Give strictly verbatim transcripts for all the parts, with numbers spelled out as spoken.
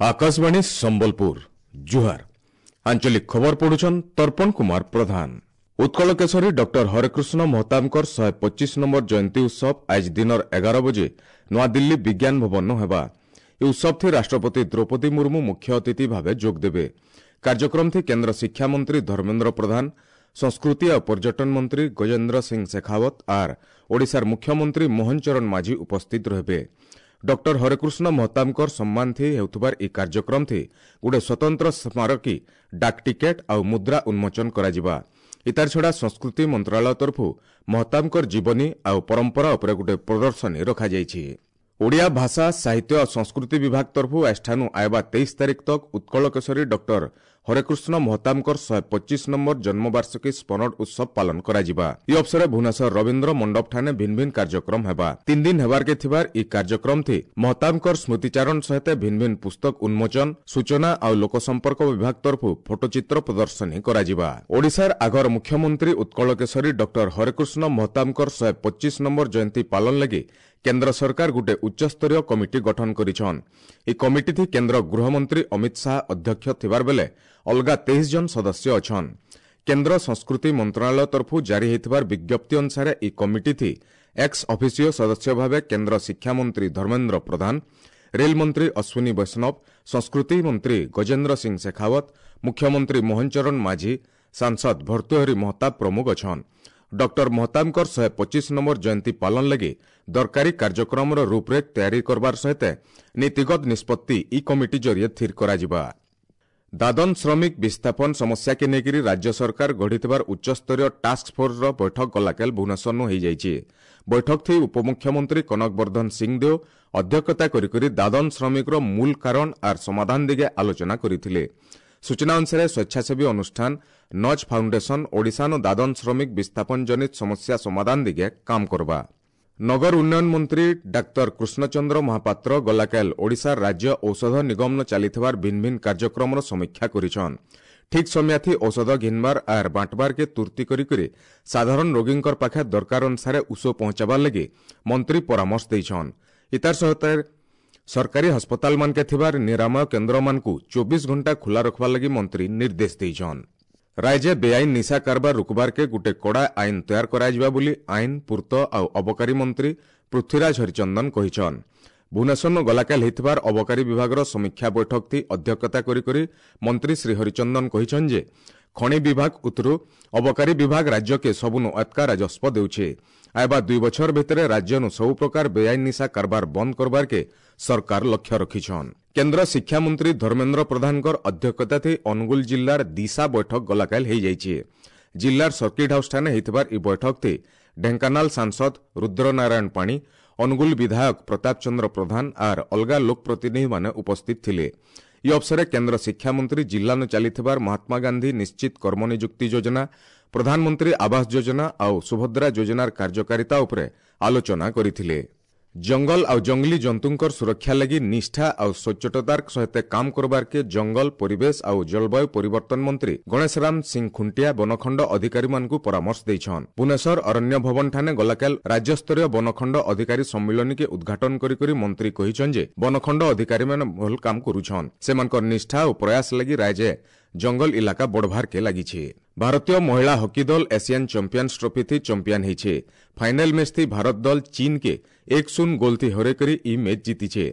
ଆକାଶବାଣୀ ସମ୍ବଲପୁର ଜୁହାର ଆଞ୍ଚଳିକ ଖବର ପଢୁଛନ୍ ତର୍ପଣ କୁମାର ପ୍ରଧାନ ଉତ୍କଳ କେଶରୀ ଡକ୍ଟର ହରେକୃଷ୍ଣ ମହତାବଙ୍କର ଶହେ ପଚିଶ ନମ୍ବର ଜୟନ୍ତୀ ଉତ୍ସବ ଆଜି ଦିନର ଏଗାର ବଜେ ନୂଆଦିଲ୍ଲୀ ବିଜ୍ଞାନ ଭବନ ହେବା ଏହି ଉତ୍ସବଥି ରାଷ୍ଟ୍ରପତି ଦ୍ରୌପଦୀ ମୁର୍ମୁ ମୁଖ୍ୟ ଅତିଥି ଭାବେ ଯୋଗଦେବେ କାର୍ଯ୍ୟକ୍ରମଥି କେନ୍ଦ୍ର ଶିକ୍ଷାମନ୍ତ୍ରୀ ଧର୍ମେନ୍ଦ୍ର ପ୍ରଧାନ ସଂସ୍କୃତି ଆଉ ପର୍ଯ୍ୟଟନ ମନ୍ତ୍ରୀ ଗଜେନ୍ଦ୍ର ସିଂ ଶେଖାୱତ ଆର୍ ଓଡ଼ିଶାର ମୁଖ୍ୟମନ୍ତ୍ରୀ ମୋହନ ଚରଣ ମାଝୀ ଉପସ୍ଥିତ ରହିବେ ଡକ୍ଟର ହରେକୃଷ୍ଣ ମହତାବଙ୍କର ସମ୍ମାନଥି ହେଉଥିବାର ଏହି କାର୍ଯ୍ୟକ୍ରମଥି ଗୋଟେ ସ୍ୱତନ୍ତ୍ର ସ୍ମାରକୀ ଡାକ ଟିକେଟ୍ ଆଉ ମୁଦ୍ରା ଉନ୍ମୋଚନ କରାଯିବା ଇତାର ଛଡ଼ା ସଂସ୍କୃତି ମନ୍ତ୍ରଣାଳୟ ତରଫରୁ ମହତାବଙ୍କର ଜୀବନୀ ଆଉ ପରମ୍ପରା ଉପରେ ଗୋଟେ ପ୍ରଦର୍ଶନୀ ରଖାଯାଇଛି ଓଡ଼ିଆ ଭାଷା ସାହିତ୍ୟ ଆଉ ସଂସ୍କୃତି ବିଭାଗ ତରଫରୁ ଆଜିଠାନୁ ଆଇବା ତେଇଶ ତାରିଖ ତକ୍ ଉତ୍କଳ କେଶରୀ ଡକ୍ଟର ହରେକୃଷ୍ଣ ମହତାବଙ୍କର ଶହେ ପଚିଶ ନମ୍ବର ଜନ୍ମବାର୍ଷିକୀ ସ୍ମରଣ ଉତ୍ସବ ପାଳନ କରାଯିବା ଏହି ଅବସରରେ ଭୁବନେଶ୍ୱର ରବୀନ୍ଦ୍ର ମଣ୍ଡପଠାନେ ଭିନ୍ନ ଭିନ୍ନ କାର୍ଯ୍ୟକ୍ରମ ହେବା ତିନି ଦିନ ହେବାରକେ ଥିବାର ଏହି କାର୍ଯ୍ୟକ୍ରମଥି ମହତାବଙ୍କର ସ୍ମୃତିଚାରଣ ସହିତ ଭିନ୍ନ ଭିନ୍ନ ପୁସ୍ତକ ଉନ୍ମୋଚନ ସୂଚନା ଆଉ ଲୋକସମ୍ପର୍କ ବିଭାଗ ତରଫରୁ ଫଟୋଚିତ୍ର ପ୍ରଦର୍ଶନୀ କରାଯିବା ଓଡ଼ିଶାର ଆଗର ମୁଖ୍ୟମନ୍ତ୍ରୀ ଉତ୍କଳ କେଶରୀ ଡକ୍ଟର ହରେକୃଷ୍ଣ ମହତାବଙ୍କର ଶହେ ପଚିଶ ନମ୍ବର ଜୟନ୍ତୀ ପାଳନ ଲାଗି କେନ୍ଦ୍ର ସରକାର ଗୋଟେ ଉଚ୍ଚସ୍ତରୀୟ କମିଟି ଗଠନ କରିଛନ୍ ଏହି କମିଟିଥି କେନ୍ଦ୍ର ଗୃହମନ୍ତ୍ରୀ ଅମିତ ଶାହା ଅଧ୍ୟକ୍ଷ ଥିବାର ବେଲେ ଅଲଗା ତେଇଶ ଜଣ ସଦସ୍ୟ ଅଛନ୍ କେନ୍ଦ୍ର ସଂସ୍କୃତି ମନ୍ତ୍ରଣାଳୟ ତରଫରୁ ଜାରି ହୋଇଥିବାର ବିଜ୍ଞପ୍ତି ଅନୁସାରେ ଏହି କମିଟିଥି ଏକ୍ସ ଅଫିସିଓ ସଦସ୍ୟ ଭାବେ କେନ୍ଦ୍ର ଶିକ୍ଷାମନ୍ତ୍ରୀ ଧର୍ମେନ୍ଦ୍ର ପ୍ରଧାନ ରେଲମନ୍ତ୍ରୀ ଅଶ୍ୱିନୀ ବୈଷ୍ଣବ ସଂସ୍କୃତି ମନ୍ତ୍ରୀ ଗଜେନ୍ଦ୍ର ସିଂ ଶେଖାୱତ ମୁଖ୍ୟମନ୍ତ୍ରୀ ମୋହନ ଚରଣ ମାଝୀ ସାଂସଦ ଭର୍ତ୍ତୃହରି ମହତାବ ପ୍ରମୁଖ ଅଛନ୍ ଡକ୍ଟର ମହତାବଙ୍କର ଶହେ ପଚିଶ ନମ୍ବର ଜୟନ୍ତୀ ପାଳନ ଲାଗି ଦରକାରୀ କାର୍ଯ୍ୟକ୍ରମର ରୂପରେଖ ତିଆରି କରବାର ସହିତ ନୀତିଗତ ନିଷ୍ପତ୍ତି ଇ କମିଟି ଜରିଏ ସ୍ଥିର କରାଯିବା ଦାଦନ ଶ୍ରମିକ ବିସ୍ଥାପନ ସମସ୍ୟାକେ ନେଇକରି ରାଜ୍ୟ ସରକାର ଗଢ଼ିଥିବାର ଉଚ୍ଚସ୍ତରୀୟ ଟାସ୍କ ଫୋର୍ସର ବୈଠକ ଗଲାକାଲ ଭୁବନେଶ୍ୱରନୁ ହୋଇଯାଇଛି ବୈଠକଥି ଉପମୁଖ୍ୟମନ୍ତ୍ରୀ କନକ ବର୍ଦ୍ଧନ ସିଂଦେଓ ଅଧ୍ୟକ୍ଷତା କରିକରି ଦାଦନ ଶ୍ରମିକର ମୂଳ କାରଣ ଆର୍ ସମାଧାନ ଦିଗେ ଆଲୋଚନା କରିଥିଲେ ସୂଚନା ଅନୁସାରେ ସ୍ୱେଚ୍ଛାସେବୀ ଅନୁଷ୍ଠାନ ନଚ୍ ଫାଉଣ୍ଡେସନ ଓଡ଼ିଶାନ ଦାଦନ ଶ୍ରମିକ ବିସ୍ଥାପନ ଜନିତ ସମସ୍ୟା ସମାଧାନ ଦିଗେ କାମ କରବା ନଗର ଉନ୍ନୟନ ମନ୍ତ୍ରୀ ଡାକ୍ତର କୃଷ୍ଣଚନ୍ଦ୍ର ମହାପାତ୍ର ଗଲାକାଲ ଓଡ଼ିଶା ରାଜ୍ୟ ଔଷଧ ନିଗମନ ଚାଲିଥିବାର ଭିନ୍ନ ଭିନ୍ନ କାର୍ଯ୍ୟକ୍ରମର ସମୀକ୍ଷା କରିଛନ୍ ଠିକ୍ ସମୟାଥି ଔଷଧ ଘିନବାର ଆର୍ ବାଣ୍ଟବାରକେ ତୁର୍ତ୍ତି କରିକରି ସାଧାରଣ ରୋଗୀଙ୍କର ପାଖେ ଦରକାର ଅନୁସାରେ ଉଷ ପହଞ୍ଚାବାର ଲାଗି ମନ୍ତ୍ରୀ ପରାମର୍ଶ ଦେଇଛନ୍ ଇତାର ସହିତ ସରକାରୀ ହସ୍ପତାଲମାନକେ ଥିବାର ନିରାମୟ କେନ୍ଦ୍ରମାନଙ୍କୁ ଚବିଶ ଘଣ୍ଟା ଖୋଲା ରଖବାର ଲାଗି ମନ୍ତ୍ରୀ ନିର୍ଦ୍ଦେଶ ଦେଇଛନ୍ ରାଜ୍ୟ ବେଆଇନ ନିଶା କାରବାର ରୋକବାରକେ ଗୋଟେ କଡ଼ା ଆଇନ ତୟାର କରାଯିବା ବୋଲି ଆଇନ ପୂର୍ତ୍ତ ଆଉ ଅବକାରୀ ମନ୍ତ୍ରୀ ପୃଥ୍ୱୀରାଜ ହରିଚନ୍ଦନ କହିଛନ୍ ଭୁବନେଶ୍ୱର ଗଲାକାଲ ହୋଇଥିବାର ଅବକାରୀ ବିଭାଗର ସମୀକ୍ଷା ବୈଠକଥି ଅଧ୍ୟକ୍ଷତା କରିକରି ମନ୍ତ୍ରୀ ଶ୍ରୀ ହରିଚନ୍ଦନ କହିଛନ୍ ଯେ ଖଣି ବିଭାଗ ଉତ୍ତରୁ ଅବକାରୀ ବିଭାଗ ରାଜ୍ୟକେ ସବୁନୁ ଅତ୍କା ରାଜସ୍ୱ ଦେଉଛେ ଆଇବା ଦୁଇ ବଛର ଭିତରେ ରାଜ୍ୟନୁ ସବୁ ପ୍ରକାର ବେଆଇନ ନିଶା କାରବାର ବନ୍ଦ କରବାରକେ ସରକାର ଲକ୍ଷ୍ୟ ରଖିଛନ୍ କେନ୍ଦ୍ର ଶିକ୍ଷାମନ୍ତ୍ରୀ ଧର୍ମେନ୍ଦ୍ର ପ୍ରଧାନଙ୍କର ଅଧ୍ୟକ୍ଷତାଥି ଅନୁଗୁଳ ଜିଲ୍ଲାର ଦିଶା ବୈଠକ ଗଲାକାଲ ହୋଇଯାଇଛି ଜିଲ୍ଲାର ସର୍କିଟ୍ ହାଉସ୍ଠାନେ ହୋଇଥିବାର ଏହି ବୈଠକଥି ଢେଙ୍କାନାଳ ସାଂସଦ ରୁଦ୍ରନାରାୟଣ ପାଣି ଅନୁଗୁଳ ବିଧାୟକ ପ୍ରତାପ ଚନ୍ଦ୍ର ପ୍ରଧାନ ଆର୍ ଅଲଗା ଲୋକପ୍ରତିନିଧିମାନେ ଉପସ୍ଥିତ ଥିଲେ ଏହି ଅବସରରେ କେନ୍ଦ୍ର ଶିକ୍ଷାମନ୍ତ୍ରୀ ଜିଲ୍ଲାନୁ ଚାଲିଥିବାର ମହାତ୍ମା ଗାନ୍ଧୀ ନିଶ୍ଚିତ କର୍ମନିଯୁକ୍ତି ଯୋଜନା ପ୍ରଧାନମନ୍ତ୍ରୀ ଆବାସ ଯୋଜନା ଆଉ ସୁଭଦ୍ରା ଯୋଜନାର କାର୍ଯ୍ୟକାରିତା ଉପରେ ଆଲୋଚନା କରିଥିଲେ ଜଙ୍ଗଲ ଆଉ ଜଙ୍ଗଲୀ ଜନ୍ତୁଙ୍କର ସୁରକ୍ଷା ଲାଗି ନିଷ୍ଠା ଆଉ ସଚ୍ଚୋଟତାର ସହିତ କାମ କରବାରକେ ଜଙ୍ଗଲ ପରିବେଶ ଆଉ ଜଳବାୟୁ ପରିବର୍ତ୍ତନ ମନ୍ତ୍ରୀ ଗଣେଶରାମ ସିଂ ଖୁଣ୍ଟିଆ ବନଖଣ୍ଡ ଅଧିକାରୀମାନଙ୍କୁ ପରାମର୍ଶ ଦେଇଛନ୍ ଭୁବନେଶ୍ୱର ଅରଣ୍ୟ ଭବନଠାନେ ଗଲାକାଲ ରାଜ୍ୟସ୍ତରୀୟ ବନଖଣ୍ଡ ଅଧିକାରୀ ସମ୍ମିଳନୀକେ ଉଦ୍ଘାଟନ କରିକରି ମନ୍ତ୍ରୀ କହିଛନ୍ ଯେ ବନଖଣ୍ଡ ଅଧିକାରୀମାନେ ଭଲ କାମ କରୁଛନ୍ ସେମାନଙ୍କର ନିଷ୍ଠା ଓ ପ୍ରୟାସ ଲାଗି ରାଜ୍ୟ ଜଙ୍ଗଲ ଇଲାକା ବଢ଼ବାରକେ ଲାଗିছে ଭାରତୀୟ ମହିଳା ହକି ଦଳ ଏସିଆନ୍ ଚାମ୍ପିୟନ୍ସ ଟ୍ରଫି ଚମ୍ପିଆନ ହେଇଛେ ଫାଇନାଲ ମ୍ୟାଚ୍ ଥି ଭାରତ ଦଳ ଚୀନକେ ଏକ ଶୂନ ଗୋଲ ଥି ହରେଇ କରି ଇ ମ୍ୟାଚ୍ ଜିତିଛେ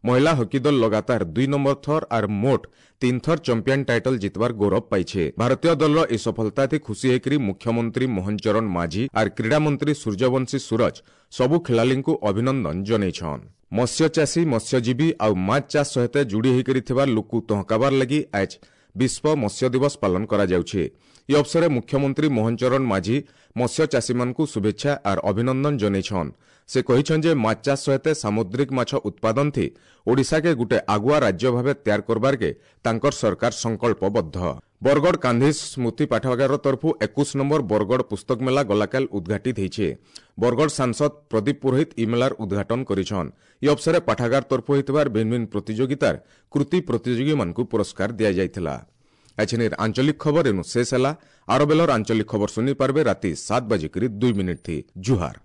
ମହିଳା ହକି ଦଳ ଲଗାତାର ଦୁଇ ନମ୍ବର ଥର ଆର୍ ମୋଟ ତିନ ଥର ଚମ୍ପିଆନ ଟାଇଟଲ ଜିତବାର ଗୌରବ ପାଇଛେ ଭାରତୀୟ ଦଳର ଏ ସଫଳତା ଥି ଖୁସି ହେଇକରି ମୁଖ୍ୟମନ୍ତ୍ରୀ ମୋହନ ଚରଣ ମାଝୀ ଆର୍ କ୍ରୀଡ଼ା ମନ୍ତ୍ରୀ ସୂର୍ଯ୍ୟବଂଶୀ ସୂରଜ ସବୁ ଖେଳାଳିଙ୍କୁ ଅଭିନନ୍ଦନ ଜଣାଇଛନ୍ ମତ୍ସ୍ୟଚାଷୀ ମତ୍ସ୍ୟଜୀବୀ ଆଉ ମାଛ ଚାଷ ସହିତ ଯୋଡ଼ି ହେଇକରି ଥିବା ଲୋକକୁ ତହକାବାର ଲାଗି ଆଜ୍ ବିଶ୍ୱ ମତ୍ସ୍ୟ ଦିବସ ପାଳନ କରାଯାଉଛି ଏହି ଅବସରରେ ମୁଖ୍ୟମନ୍ତ୍ରୀ ମୋହନ ଚରଣ ମାଝୀ ମତ୍ସ୍ୟଚାଷୀମାନଙ୍କୁ ଶୁଭେଚ୍ଛା ଆର୍ ଅଭିନନ୍ଦନ ଜଣାଇଛନ୍ ସେ କହିଛନ୍ ଯେ ମାଛ ଚାଷ ସହିତ ସାମୁଦ୍ରିକ ମାଛ ଉତ୍ପାଦନ ଥି ଓଡ଼ିଶାକେ ଗୋଟେ ଆଗୁଆ ରାଜ୍ୟ ଭାବେ ତିଆର କରବାରକେ ତାଙ୍କର ସରକାର ସଂକଳ୍ପବଦ୍ଧ ବରଗଡ଼ ଗାନ୍ଧୀ ସ୍ମୃତି ପାଠାଗାର ତରଫରୁ ଏକୋଇଶ ନମ୍ବର ବରଗଡ଼ ପୁସ୍ତକ ମେଳା ଗଲାକାଲ ଉଦ୍ଘାଟିତ ହେଇଛେ ବରଗଡ଼ ସାଂସଦ ପ୍ରଦୀପ ପୁରୋହିତ ଇ ମେଳାର ଉଦ୍ଘାଟନ କରିଛନ୍ ଏହି ଅବସରରେ ପାଠାଗାର ତରଫରୁ ହୋଇଥିବାର ଭିନ୍ନ ଭିନ୍ନ ପ୍ରତିଯୋଗିତାର କୃତି ପ୍ରତିଯୋଗୀମାନଙ୍କୁ ପୁରସ୍କାର ଦିଆଯାଇଥିଲା ଏଛିନିର ଆଞ୍ଚଳିକ ଖବର ଏନୁ ଶେଷ ହେଲା ଆର ବେଲର ଆଞ୍ଚଳିକ ଖବର ଶୁଣି ପାରବେ ରାତି ସାତ ବାଜିକରି ଦୁଇ ମିନିଟ୍ ଥି ଜୁହାର